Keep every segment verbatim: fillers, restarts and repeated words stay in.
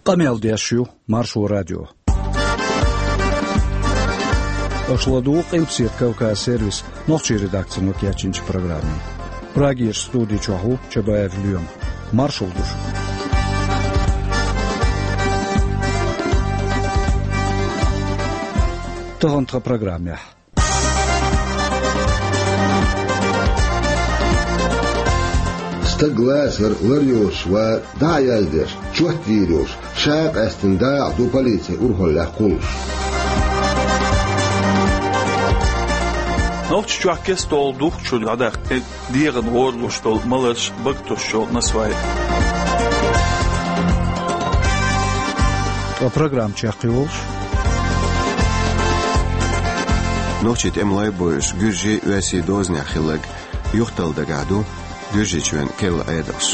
Къамел деш ю Маршо радио. Аша ладугӀу Къилбаседа Кавказ сервисан нохчийн редакцино кечйинчу программе. Прагерчу студи чохь ву Чабаев Лоьма. Маршалла ду шуьга. Тахана тхан программехь. Стаг лацар, лар йоцуш вар, дӀа а яздеш, чот йийр йолуш, ша а къаьстина дакъа ду полицин урхаллехь кхуллуш. Нохчийчохь кестта долу духкучуьра дӀадаккхий дегӀан гӀора луш долу маларш, бага тосуш йолу насвай. Ткъа программа чекхйолуш. Нохчийн тӀемалой а бойуш, гуьржий а, оьрсий а дозанехь хилларг юхаталла дагахь ду Гуьржийчоьнан керла Ӏедалш.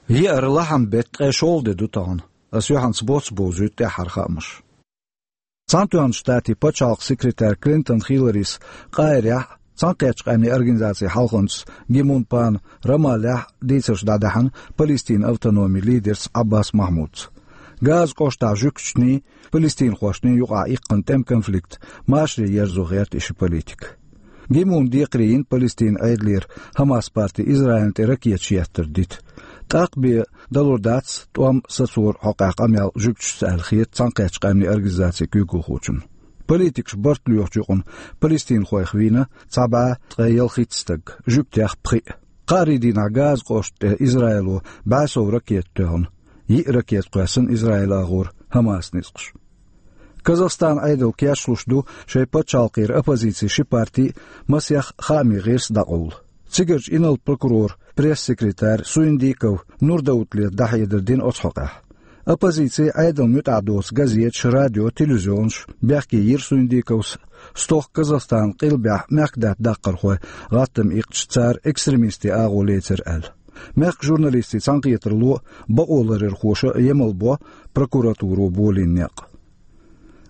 Еара лахьан беттан ткъе шолгӀа де ду тахана. Ас юьхьанца боцца бовзуьйту тӀаьххьара хаамаш. Цхьаьнатоьхначу Штатийн пачхьалкхан секретарь Клинтон Хилларис Къахьирехь а, Цхьаьнакхеттачу Къаьмнийн Организацин хьалханчас Ги Мун Пана Рамаллехь а дийцарш дӀадаьхьна Палестинан автономин лидерца Ӏаббас Махьмудца. Газан кӀоштахь жуьгташний, палестинхошний юкъахь иккхина тӀеман конфликт машаре ерзо гӀерта и ши политик. Ги Муна декхаре йина Палестинан Ӏедалера Хьамас парти Израилна тӀе ракеташ еттар дита. ТӀаккха бен далур дац тӀом сацоран хьокъехь къамел жуьгташца аьлла хета Цхьаьнакхеттачу Къаьмнийн Организацин куьйгалхочунна. Политикаш барт лоьхучу юкъана палестинхойх вийна цхьа бӀе ткъе ялхитта стаг, жуьгтех пхиъ. Кхаарин дийнахь Газан кӀоштан тӀе Израило бӀе сов ракета тоьхна, йиъ ракета кхоьссина Израилан агӀор Хьамасан ницкъаша. Казахстанан Ӏедал кечлуш ду шайн пачхьалкхера оппозицин ши парти а, масех хаамийн гӀирс а дӀакъовла. Цигарчу инарла прокуроран пресс-секретарь Суиндиков Нурдауталета дӀахьедар дина оцу хьокъехь. Оппозици, Ӏедална муьтӀахь доцу газеташ, радио, телевизионаш бехке йира Суиндиковс, стохка Казахстанан къилбехь мехкадаьтта даккхархой гӀаттам иккхича, цара экстремистийн агӀо лецира аьлла. Мехкан журналистийн цхьаьнакхетарло а, бакъоларъярхоша а емал бо прокуратуро болийна некъ.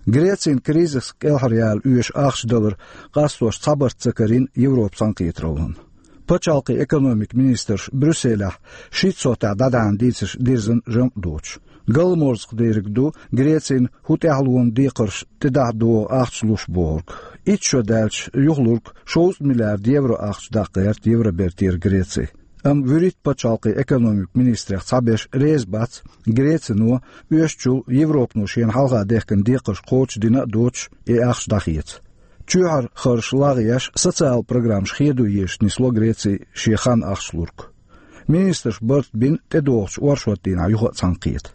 Грецина кризисах кӀелхьараяла оьшу ахча далар къастош цхьабарт ца карийна Европан цхьаьнакхетараллина. Пачхьалкхийн экономикан министраш Брюсселехь шийтта сов тӀехь дӀадаьхьна дийцарш дирзина жамӀ доцуш. Галламорзах дийриг ду Грецина хӀун тӀаьхьалонан декхарш тӀедахьа догӀу ахча луш бохург. Итт шо даьлча юхалург шовзткъа миллиард евро ахча даккха гӀерта Евробертера Греци. Амма вуьрхӀитта пачхьалкхийн экономикан министрех цхьаберш реза бац Грецино оьшучул Европано шена хьалха дехкина декхарш кхочушдина а доцуш, и ахча дӀахеца. Чоьхьара харжаш лагӀъеш, социалан программаш хедо езаш нисло Греци шен хан ахча лург. Министраш барт бина тӀедогӀучу оршот дийнахь юха а цхьаьнакхета.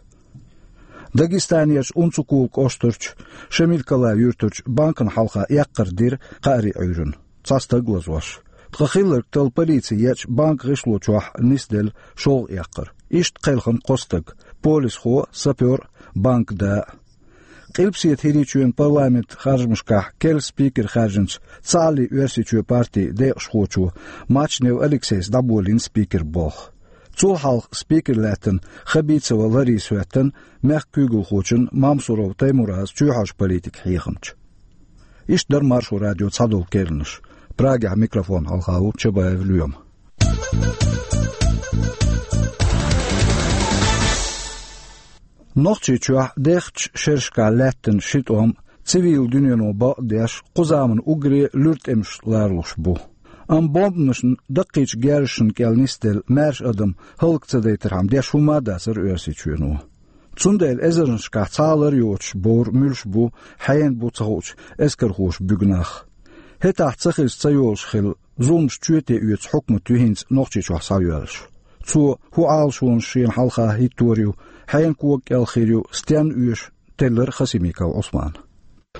Дагестанерчу Унцукула кӀоштарчу Шамилкалай юьртарчу банкана хьалха эккхар дира кхаарин Ӏуьйранна, цхьа стаг лазош. Ткъа хилларг талла полици еъча, банкан гӀишло чохь нисделла шолгӀа эккхар. Иштта кхелхина кхо стаг: полисхо а, сапёр а, банкан да а. Къилбаседа ХӀирийчоьнан парламентан харжамашкахь керла спикер хаьржинчу Цхьааллин Оьрсийчоь партин декъашхочо Мачнев Алексейс дӀаболийна спикеран болх. Цул хьалха спикер лаьттина Хабицева Лариса хӀоьттина мехкан куьйгалхочун Мамсуров Таймуразан чоьхьарчу политикан хьехамча. Иштта дара Маршо радион цхьадолу керланаш. Прагехь микрофон хьалха ву Чабаев Лоьма. Нохчийчохь дехачу шерашкахь лаьттина ши тӀом цивилан дуьнено бакъдеш, кху заманан уггаре луьра тӀемаш ларалуш бу. Амма бомбанашна, даккхийчу герзашна кӀел нисделла маьрша адам хӀаллак ца дайтархьама деш хӀумма а дацара Оьрсийчоьно. Цундела эзарнашкахь цхьа а лар йоцуш бовра муьлш бу, хьенан бу ца хуучу эскархоша буьгу нах. ХӀетахь ца хеза ца йолуш хилла, зуламаш чоьте оьцу хьукмат ю хӀинца Нохчийчохь схьайоьллуш. Цо хӀун Ӏалашонаш шена хьалха хӀиттор ю, хьенан кога кӀел хир ю, стенна оьшу, теллира Хасимиков Ӏусмана.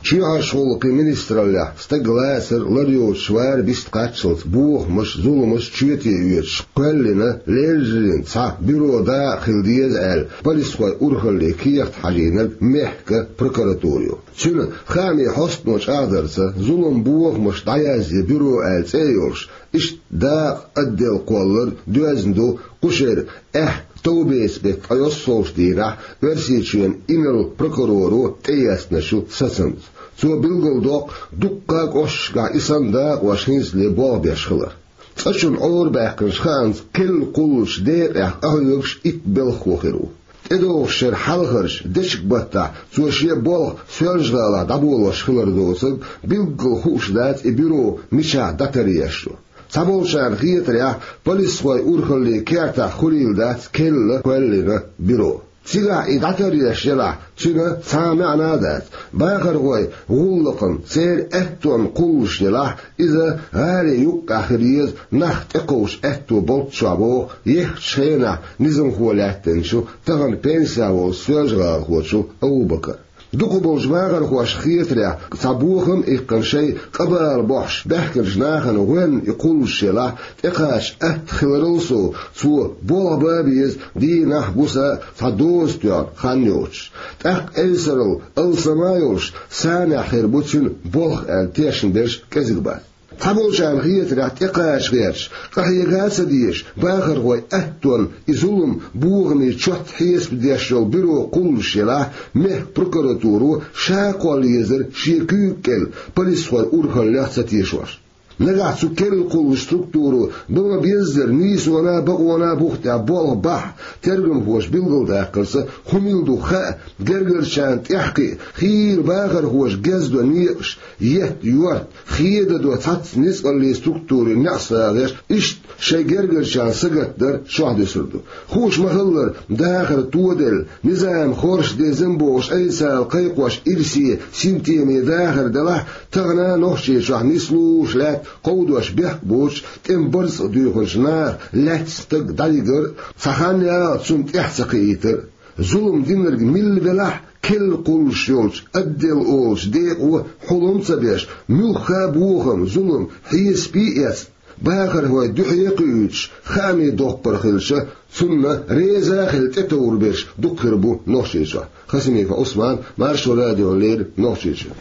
Чоьхьарчу гӀуллакхийн министраллехь стаг лацар, лар йоцуш вар вист кхаччалц бохамаш, зуламаш чоьте оьцуш кхоьллина, лелларийн цхьа бюро дакъа хила деза аьлла, полисхойн урхаллин кехат хьажийнарг мехкан прокуратура ю. Цуьнан хаамийн хьостано чӀагӀдарца, зулам бохамаш дӀаязъе бюро аьлла цӀе а йолуш, иштта дакъа отдел кхоллар доьзна ду кху шеран аьхка товбеца беттан ткъе йоьссалгӀачу дийнахь Оьрсийчоьнан инарла прокуроро тӀеэцна шу сацамца. Цо билгалдоккху дуккха а кӀошташкахь и санна дакъош хӀинцале болх беш хилар. ЦӀа чуьра Ӏорабаьккхинчу хаамца, керла кхуллучу декъех къахьоьгуш итт белхахо хир ву. ТӀедогӀучу шеран хьалхарчу дечиг-баттахь цо шен болх Соьлжа-ГӀалахь дӀаболош хилар доцург билггал хууш дац и бюро мичахь дӀатаръеш ю. Цхьаболчарна хетарехь, полисхойн урхаллин кертахь хуьлийла дац керла кхоьллина бюро. Цигахь и дӀатаръеш елахь, цуьнан цхьа а маьӀна а дац. Бахархойн гӀуллакхна церан аьттонна кхуллуш елахь, иза гӀалин юккъехь хир еза нах тӀекховчу аьтто болччохь, боху еххачу хенахь низамхо лаьттинчу, тахана пенсехь волчу соьлжагӀалахочу Абу-Бакара. Дукхахболчу бахархошна хетарехь, цхьа бохам а иккхина, шайн къа-бала бохьуш баьхкинчу нахана гӀоьнна и кхуллуш елахь, тӀекхача атта хиларал сов, цо болх бан а беза, дийнахь а, гуса а цхьа доза тоьхна хан йоцуш. ТӀаккха эвсарал алсам а йолуш, санехь хир бу цуьнан болх аьлла тешнаберш кӀезиг бац. Цхьаболчарна хетарехь, тӀекхача гӀерташ, къахьега а ца дезаш, бахархойн аьттонна и зулам, бохамийн чот хьесап деш йолу бюро кхуллуш елахь, мехкан прокуратуро ша кхолла езара шен куьйга кӀел, полисхойн урхаллех ца тешош. Нагахь цу керла кхуллучу структуро бан ма-беззара нийсонан а, бакъонан а бух тӀехь болх бахь, тергамхоша билгалдаккхарца, хӀун мила ду хаа, гергарчарна тӀаьхьакхиа, хийра бахархоша гездо некъаш, етта йорта, хеда до цхьацца ницкъаллийн структурийн неӀсагӀеш, иштта шайн гергарчарна сагатдар чохь дуьсур ду. Хууш ма-хиллара, дахар тоделла, низам хорша дезна бохуш, айса кхайкхош ирсе, синтеме дахар делахь, тахана а Нохчийчохь нислуш лаьтта кховдош бехк боцуш, тӀеман барзкъа дуьйхинчу наха лаьцна стаг дӀавигар а, цхьа хан яла цунна тӀаьхьа ца кхиийтар а. Зулам динарг милла велахь а, керла кхуллуш йолчу отдел олучу декъо хьулам а ца беш, муьлхха а бохам, зулам хьесапе а эцна, бахархой дуьхье а кхуьуьйтуш, хаамийн доккхар хилча, цунна реза а хилла тӀетовр берш дукха хир бу Нохчийчохь. Хасимиков Ӏусман, Маршо радиона леррина, Нохчийчуьра.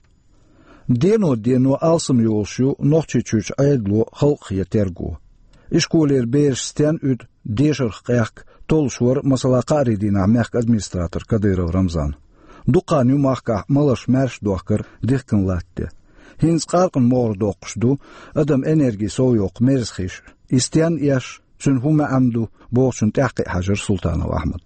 Дено-дено алсам йолуш ю Нохчийчуьрчу Ӏедало халкъан терго. Ишколера бераш стенна уьду, дешарх къехка, толлуш вара, масала, кхаарин дийнахь мехкан администратор Кадыров Рамзан. Дукха хан ю махкахь маларш маьрша дохкар дихкина латта тӀе. ХӀинца къаркъана могӀара доккхуш ду адам энерги совйоккху мерза хиш. И стенна эш, цуьнан хӀун маьӀна ду, бохучунна тӀаьхьакхиа хьаьжира Султанов Ахьмад.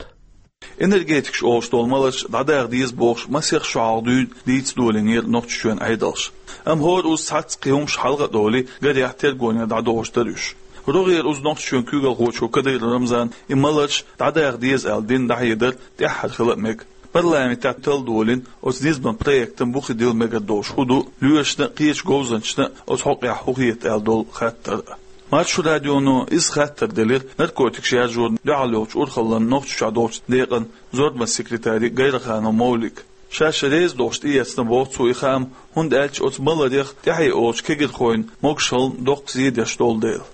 Энергетикаш олуш долу маларш дӀадаха деза бохуш, масех шо хьалха дуьйна дийца долийнера Нохчийчоьнан Ӏедалша. Амма хӀора уза цхьацца кхин хӀумаш хьалха а долий, гарехь тергонехь дӀадохуш дара уьш. РогӀера уза Нохчийчоьнан куьйгалхочо Кадыров Рамзана и маларш дӀадаха деза аьлла дина дӀахьедар тӀаьххьара хила а мега. Парламентехь талла долийна оцу низаман проектан бухе дилла мегар долуш хӀун ду, лоьрашна а, кхечу говзанчашна а оцу хьокъехь хӀун хета аьлла долу хаттар а. Маршо радионо иза хаттар делира наркотикаш яржонна дуьхьал йолчу урхаллан Нохчийчохь долчу декъан зорбанан секретаре Гайраханов Мовлига. Ша-ша реза долуш тӀеэцна боху цо и хаам, хӀунда аьлча оцу маларех тӀаьхье олучу кегирхойн могушаллина доккха зен деш долу дела.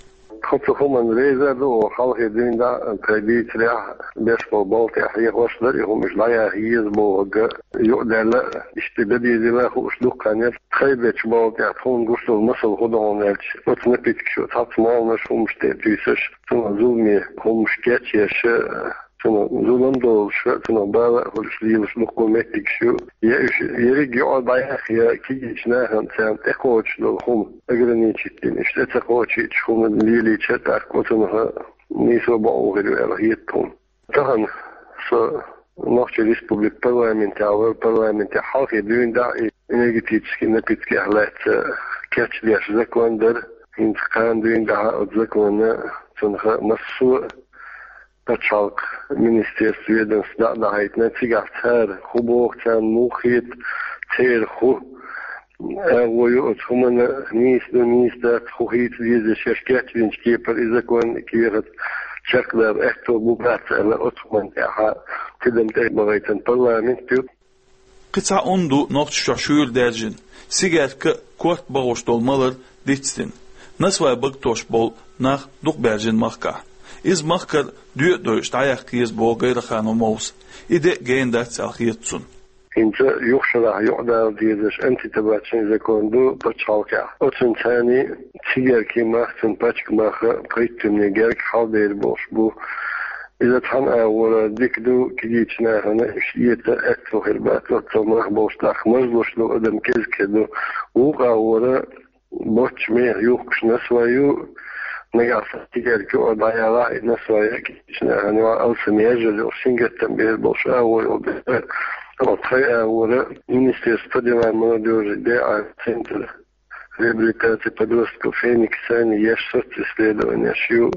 Тхо цу хӀуманна реза а ду, оха хьалхе дуьйна дӀа тхайн дийцарехь, беш болу балха тӀехь хьехош дара и хӀума, уьш дӀаяха еза бохург а юкъадаьлла, иштта дан дезийла а хууш дукха хан яра. Тхайн бечу балха тӀехь тхуна гуш долу масал хӀун ду хьуна аьлча, оцу напиткаша цхьацца молханаш, хӀуманаш тӀе а туьйсуш, цунах зуламе хӀуманаш кечъеш, цунах зулам долуш а, цунах бала а хуьлуш лелаш дуккха меттигаш ю. Я уьш ерриг а юкъа дӀаяха, я кегийчу нахана царна тӀекхочуш долу хӀума ограничить дина, уьш тӀе ца кхочуьйтуш хӀума лелийча, тӀаккха оцунах нийсо бакъо хир ю аьлла хета тхуна. Тахана со Нохчийн Республикан парламентехь вара, парламентехь хьалхе дуьйна дӀа и энергетический напиткех лаьцна кечдеш закон дара. ХӀинца кхана дуьйна дӀа оцу законна, цунах массо а пачхьалкхан министерство, ведомство дӀа а дахьийтина, цигахь цара хӀун боху, царна муха хета, церан хӀун агӀо ю оцу хӀуманна, нийса ду, нийса дац, хӀун хийца деза, шаьш кечдинчу кепара и закон кехат чекхдаба аьтто бу, бац аьлла, оцу хӀуманна тӀехь тидам тӀе а бахийтина парламент ю. Кхин цхьа ун ду Нохчийчохь шуьйра даьржина, сигарка а, корта а бахош долу малар дицдина. Насвай багатош болу нах дукха баьржина махкахь. Иза махкара доьа а дойуш дӀаяккха еза боху Гайраханов Мовса. И де а гена дац аьлла хета цунна. ХӀинца юха шарахь юкъадала дезаш антитабачный закон ду пачхьалкхехь. Оцунна царний цигаркин мах, цуьнан пачкан мах а, пхийттамне герга хьалдер болуш бу. Иза цхьана агӀора дика ду, кегийчу нахана иштта эца аьтто хир бац, оццул нах болуш, тӀаккха мажлуш долу адам кӀезиг хир ду. Вукху агӀора боцчу мехах юхкуш насвай ю, нагахь санна цигарка юкъара дӀаялахь, и насвай кегийчу нахана юкъахь алсам яжар йолуш, сингаттам бер болуш агӀо йолу дела, оцу тхайн агӀора Министерство по делам молодёжи, ДА центр реабилитации подростков «Феникс» санна еш социсследованеш ю.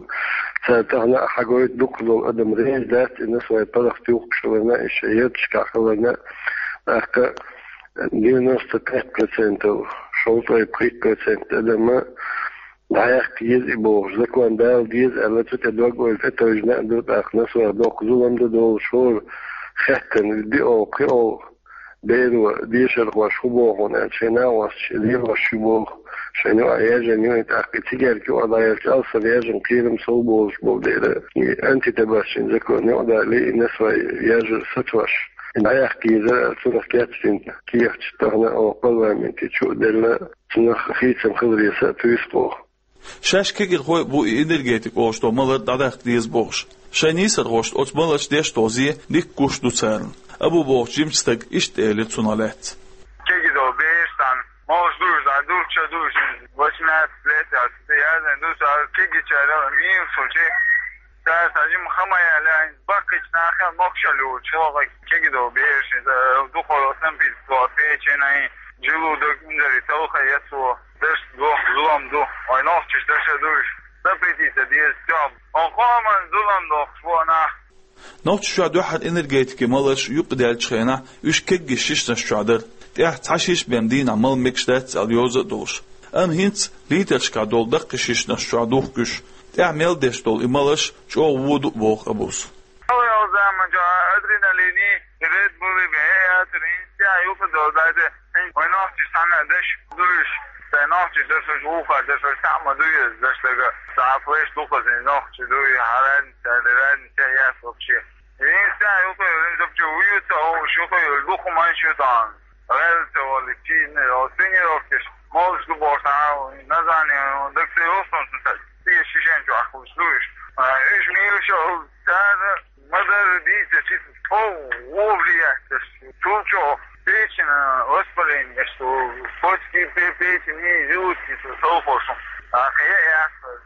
Цара тахана а хьагойту, дукхахдолу адам реза дац и насвай паргӀат юхкуш хиларна, и шайн ярташкахь хиларна, тӀаккха девяносто пять процентов, шовзткъе пхийтта процент адама дӀаяккха еза и бохуш, закон дала деза аьлла, цу тӀе дог-ойла тӀетевжина а ду, тӀаккха насвай доккха зулам ду долуш, хӀора хаьттина, диъолгӀа, кхиолгӀа беро дешархоша хӀун боху аьлча, шайн накъосташа лелош ю боху, шайна юкъахь яжна ю, тӀаккха и цигарка юкъахь дӀаелча, алсам яжна кхерам сов болуш болу дела, и антитабачный закон юкъадале, и насвай яжар сацош, и дӀаяккха еза аьлла, цунах кечдина кехаташ тахана оха парламенте чу а делла, цунах хийцам хиларе са а туьйсу оха. Шаьш кегийрхой а бу и энергетика олуш долу малар дӀадаккха деза бохуш. Шайн нийсархошна оцу маларш деш долу зе дикка гуш ду царна. Абу бохучу жимачу стага иштта элира цунах лаьцна. Кегий долу бераш цхьана молуш дуьйш, дӀа дулча дуьйш, восемнадцать лет яц, яздина ду, цара кегийчара мийраш хилча, цара цхьа жима хама яьлла, баккхийчу нахана мокшалла йолчу, кегий долу бераш, иза дукхо санпит, печень, желудок, инзаре талха яц цо. Даш доху зулам ду, вай нохчаш даша дуйш, запретить дан деза тоьам. Вай къоман зулам дохуш бу нах. Нохчийчохь дуьххьара энергетикин маларш юкъадаьллачу хенахь уьш кегийчу шишанаш чохь дара. ТӀехь цхьа шиша бен дийнахь мала мегаш дац аьлла йоза а долуш. Амма хӀинца литрашкахь долу даккхий шишанаш чохь духку уьш. ТӀехь мел деш долу и маларш чӀогӀа воду а боху Абус. Хьалха заманчохь адреналин, Red Bull бен яцара, хӀинца юха долу дайта, вай нохчаш цхьана деш дуйш, сайн нохчаш деш, уьш вухар деш, уьш цхьаъ ма дуй иза деш дага. Цхьа флеш дукха зин нохчи дуй, хьараднича, раднича яц вообще. ХӀинца юха йолу, хӀинца вообще вуьйца олуш, юха йолу дукха манаш ю тахана. Гьелца вали, чийна, тренировкаш, молуш ду бохуш, а, название, дагца йолуш, сан шишен чохь ахкалуш дуйш. А, уьш мийраш олу, цара Ма-дарра дийца, чисто тхов вовлиятташ, цул чӀогӀа печень воспаление, что почки, пе-, печень и желудки, что совхозом. А, хе, яхар.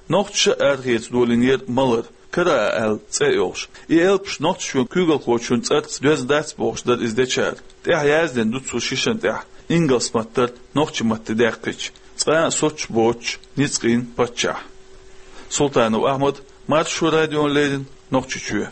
Нохчаша арахеца долийнера малар, кара аьлла цӀе а йолуш. И элпаш Нохчийчоьнан куьйгалхочун цӀарца доьзна дац бохуш дара иза дечара. ТӀехь яздина ду цу шишан тӀехь, ингалс маттара нохчи матте даьккхича, цкъа а соцуш боцуш, ницкъийн паччахь. Султанов Ахьмад, Маршо радиона леррина, Нохчийчоь.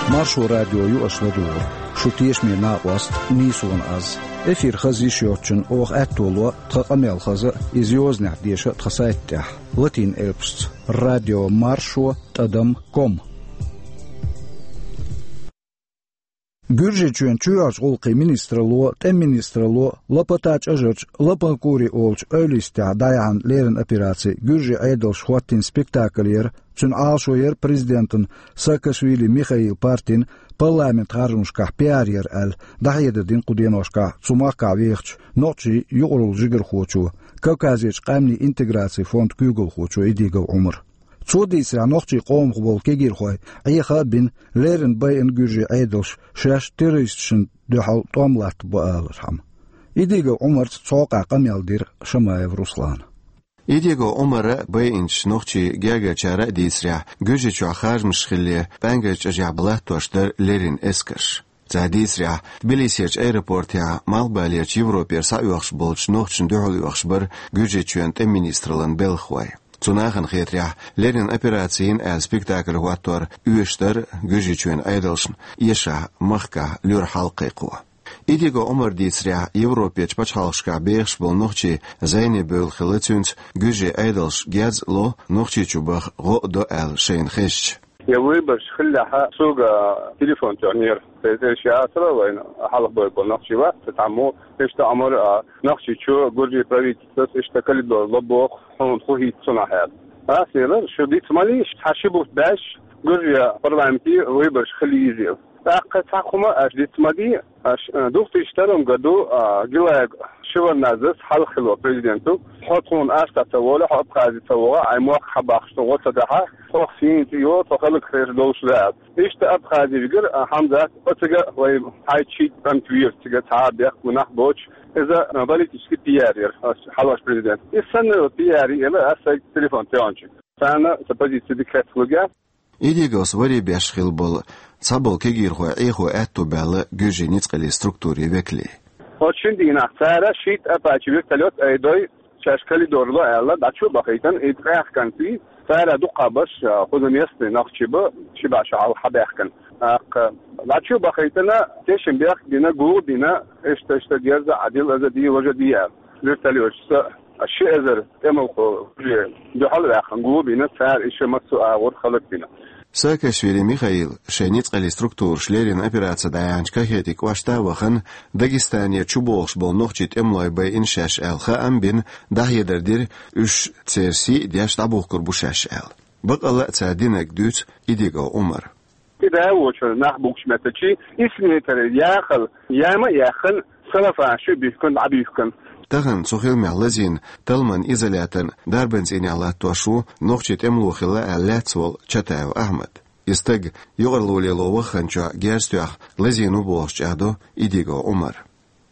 Маршо радио ю аша ладугӀург. Шу тешаме накъост нийсонан аз. Эфир хаза йиш йоцчунна оха аьтто ло тхан къамел хаза а, иза йозанехь деша а тхан сайта тӀехь, латин элпашца: радио маршо тӀадам ком. Гуьржийчоьнан чоьхьарчу гӀуллакхийн министралло, тӀеман министралло Лапота чӀажарчу Лапанкури олучу эвлаъистехь дӀаяьхьна леррина операци гуьржийн Ӏедалша хӀоттийна спектакль яра, цуьнан Ӏалашо яра президентан Саакашвили Михаилан партин парламентан харжамашкахь пиар яр аьлла, дӀахьедар дина кху деношкахь цу махкахь вехачу нохчийн юкъараллин жигархочо, Кавказерчу къаьмнийн интеграцин фондан куьйгалхочо Идигов Ӏумара. Цо дийцарехь, нохчийн къомах болу кегийрхой Ӏеха а бина, леррина байина гуьржийн Ӏедалша шаьш террористашна дуьхьал тӀом латтабо алархьама. Идигов Ӏумарца цкъа а къамел дира Шамаев Руслана. Идигов Ӏумара а, байинчу нохчийн гергарчара а дийцарехь, Гуьржийчохь харжамаш хилале, ПӀаьнгара чӀажехь бан латтош дара леррина эскарш. Цара дийцарехь, Тбилисерчу аэропортехь Малхбалерчу Европера схьаоьхуш болчу нохчашна дуьхьал оьхуш бара Гуьржийчоьнан тӀеман министраллан белхахой. Цу нахана хетарехь, леррина операци йина аьлла спектакль хӀоттор оьшуш дара Гуьржийчоьнан Ӏедалшна эшахь махкахь луьра хьал кхайкхо. Идигов Ӏумара дийцарехь, Европерчу пачхьалкхашкахь бехаш болу нохчий зӀене бевлла хилла цуьнца, гуьржийн Ӏедалша герз а ло, Нохчийчу баха гӀо а до аьлла шайна хезча. Я выборщик хиллехь, суга телефон тоьхнера. Церан тӀе ши асара вайна хьалха бой бо нохчий вац, цхьаммо иштта Ӏумар а, Нохчийчу гуьржийн правительствос иштта коридор ло боху, хьуна хӀун хийца цунах аьлла. Ас элира, шу диц ма лийша, цхьа ши бутт баьш, гуьржийн парламентан выборщик хила еза. ТӀаккха цхьа хӀума аша диц ма де, аша, э, две тысячи втором году, а, Гилаев Шеварднадзес хьалха хилла президента: «Хьо тхуна аш ца волу, хьо Абхази ца вогӀу, хьайн мохк хьабахьаш тхо гӀо ца дахьа, тхох сийна цӀе йолу, тхо халкъ хезаш долуш дац». Иштта Абхази вигира, а, Хьамзат, оццигахь вай хьайчи кӀант вийра, цига цхьа а бехк, гунахь боцуш, иза, а, политический пиар яра, ас хьалхаш президент. Иза санна пиар яра, ас сайга телефон тоьхначи. Царна сан позици дика хеталуьйтура. Идиговс варе беш хилла болу цхьаболу кегийрхой Ӏехо аьтто баьлла гуьжий ницкъаллин структурийн векале. Оцу шина дийнахь цара шийтта Apache вертолёт айдой, шаьш коридор ло аьлла, дӀачу а бахийтина, и тӀехь кӀант вий, цара дукха баш, а, кхуза местный нохчий бу, ши бӀе шо хьалха хьабаьхкина. ТӀаккха дӀачу а бахийтина, тешнабехк бина, гуо бина, иштта, иштта дерза Ӏадил, аза ди, важа ди аьлла. Вертолёташца ши эзар тӀемалхо уже дуьхьал а ваьккхина, гуо бина, цара иштта массо а агӀор хӀаллакбина. Саакашвили Михаил шайн ницкъаллин структураш леррина операци дӀаяьхьначу Кахетин кӀоштахь а вахана, Дагестанера чубогӀуш болу нохчийн тӀемалой байина шаьш аьлла хаам бина, дӀахьедар дира, уьш церан сий а деш дӀабухкур бу шаьш аьлла. Бакъалла а цара динарг дуьйцу Идигов Ӏумара. И да а воцуш нах бухкучу меттачий, исс метр яхала, яма а яьккхина, салафан ши буьхкина, дӀабуьхкина. Тахана цу хиламехь лазийна талламан изоляторна дарбан цӀийнехь латтош ву нохчийн тӀемало хилла аьлла лаьцна волу Чатаев Ахьмад. И стаг юкъаралла лело вахханчохь герз тоьхна лазийна ву бохуш чӀагӀдо Идигов Ӏумара.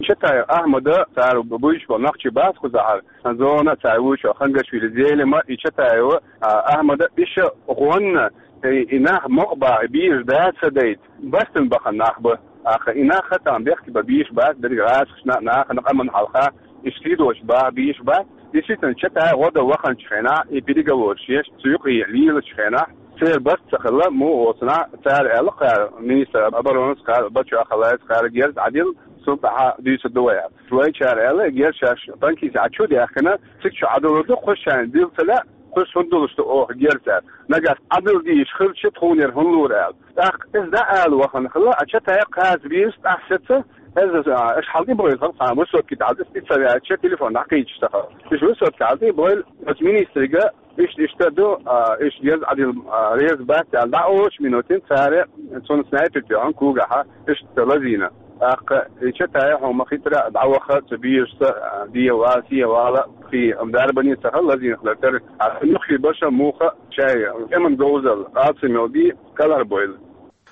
Чатаев Ахьмада цара буьйцуш болу нохчий бац кхузахьара, зона цара вуьйцуш Хангашвили Зелима и Чатаева, а, Ахьмада иша гӀонна, и, и нах мукъа баха, и бийраш бац ца дайта, бастана бахана нах бу. Аха, и нах хатам бехке бан бийраш бац, берриг гӀазкхашна, нахана къаман хьалха, и шийдош баха бийраш бац. Действительно, Чатаев гӀо дан ваханчу хенахь, и переговораш еш, цу юкъе лелачу хенахь, церан барт ца хилла, муха оцунахь, цара аьлла кхара, министр обороны кхара, Бачо Ахалайс кхара герз Ӏадил, цул тӀаьхьа дуьйцур ду вай аьлла. Вайчара аьлла, герз шаьш танкист Ӏа чу а даьхкина, цига чу Ӏадалур ду, кхуьш шайна дилла ца лаьа, кхуьш хӀунда долуш ду оха герз аьлла. Нагахь Ӏадал дийш хилча, тхуна яра хӀунда лур аьлла. ТӀаккха иза дӀа ала вахана хилла, а Чатаев кхача бийраш тӀаьхьа сеца, иза, а, аша хьал тӀе бохуьйту хьал цхьана высотки тӀехь, иза тӀе ца веача, телефон дӀакхийдаш ца хилла. Иша высотки хьал тӀе бохуьйту, оцу министрига, иштта, иштта ду, а, иштта герз Ӏадил, а, реза бац аьлла, дӀа олучу минутин цара цунна снайпер тоьхна когахьа, иштта лазийна. ТӀаккха и Чатаев хьуна ма-хиттара дӀаваха цу бийрашца, а, дехьа вала, сехьа вала, кхин дарбане ца хилла, лазийна хилар тера, а, юххе баша муха шайн тӀеман говзалла, алсам йолу бий, кӀалхарбойла.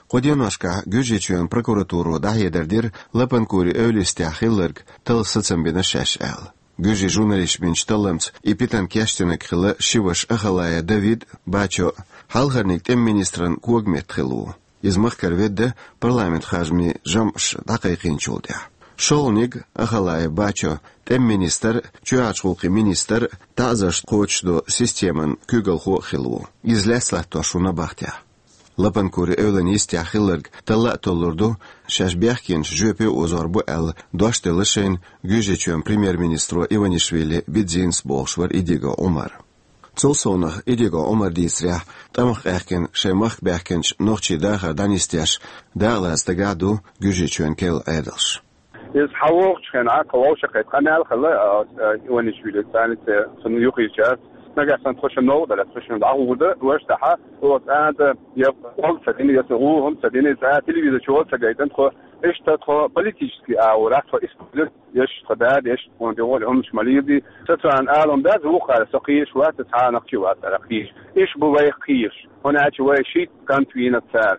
Кху деношкахь Гуьржийчоьнан прокуратуро дӀахьедар дира Лапанкури эвла йистехь хилларг талла сацам бина шаьш аьлла. Гуьржийн журналисташа бинчу талламца и питана кечдинарг хилла ши ваша Ахалаев Давид а, Бачо а, хьалхарниг тӀеман министран когаметта хилла ву. Иза махкара ведда парламентан харжамийн жамӀаш дӀакхайкхийначул тӀаьхьа. ШолгӀаниг, Ахалаев Бачо, тӀеман министр а, чоьхьарчу гӀуллакхийн министр а, таӀзарш кхочушдо системан куьйгалхо а хилла ву. Иза лаьцна латтош ву набахтехь. Лапанкури эвлан йистехь хилларг талла а толлур ду, шаьш бехкенаш жоьпе а озор бу аьлла, дош делла шайна Гуьржийчоьнан премьер-министро Иванишвили Бидзинас бохуш вара Идигов Ӏумар. Цул совнах Идигов Ӏумара дийцарехь, тӀамах къаьхкина шайн махка баьхкинчу нохчийн дахар дӀанисдеш, дакъалаца дагахь а ду Гуьржийчоьнан керла Ӏедалш. Иза схьавогӀучу хенахь, тхо вовшахкхетта къамел хилла, а, а, Иванишвили, царна цунна юххерчара. Нагахь санна тхо шуна новкъа далахь, тхо шуна дӀагӀур ду, важа тӀаьхьа, оцу цӀа а я къом ца дина, я ца гӀу хӀума ца дина, цӀа телевизор чу гӀо ца гайтина, тхо иштта тхо политический агӀорахь, тхо исправлять еш, тхо дада еш, тхуна тӀе гӀо хӀуманаш ма лийр ди. Сан царна алам дац, вукхара со кхийраш вац, цхьа а нах чу вац ара кхийраш. Иштта бу вайх кхийраш. ХӀунда аьлча вай шийтта кӀант вийна цара.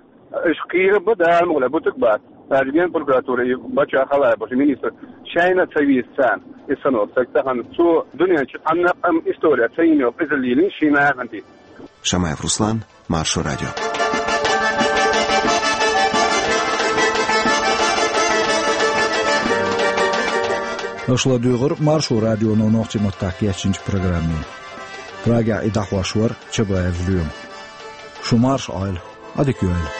Иштта кхийра бу, Дала мукъ лахь, бутуг бац. Даже генпрокуратура и Бачо Ахалаев бохуш министр шайна а ца веза царна. И санна стаг тахана цо дуьнен чу цхьанна а къам история ца йина йолу къизалла йиллина шен нахана тӀе. Шамаев Руслан, Маршо радио. Аша ладуьйгӀира Маршо радионо нохчийн маттахь кечйинчу программе. Прагехь и дӀахьош вара Чабаев Лоьма. Шу марша Ӏойла, Ӏадика йойла.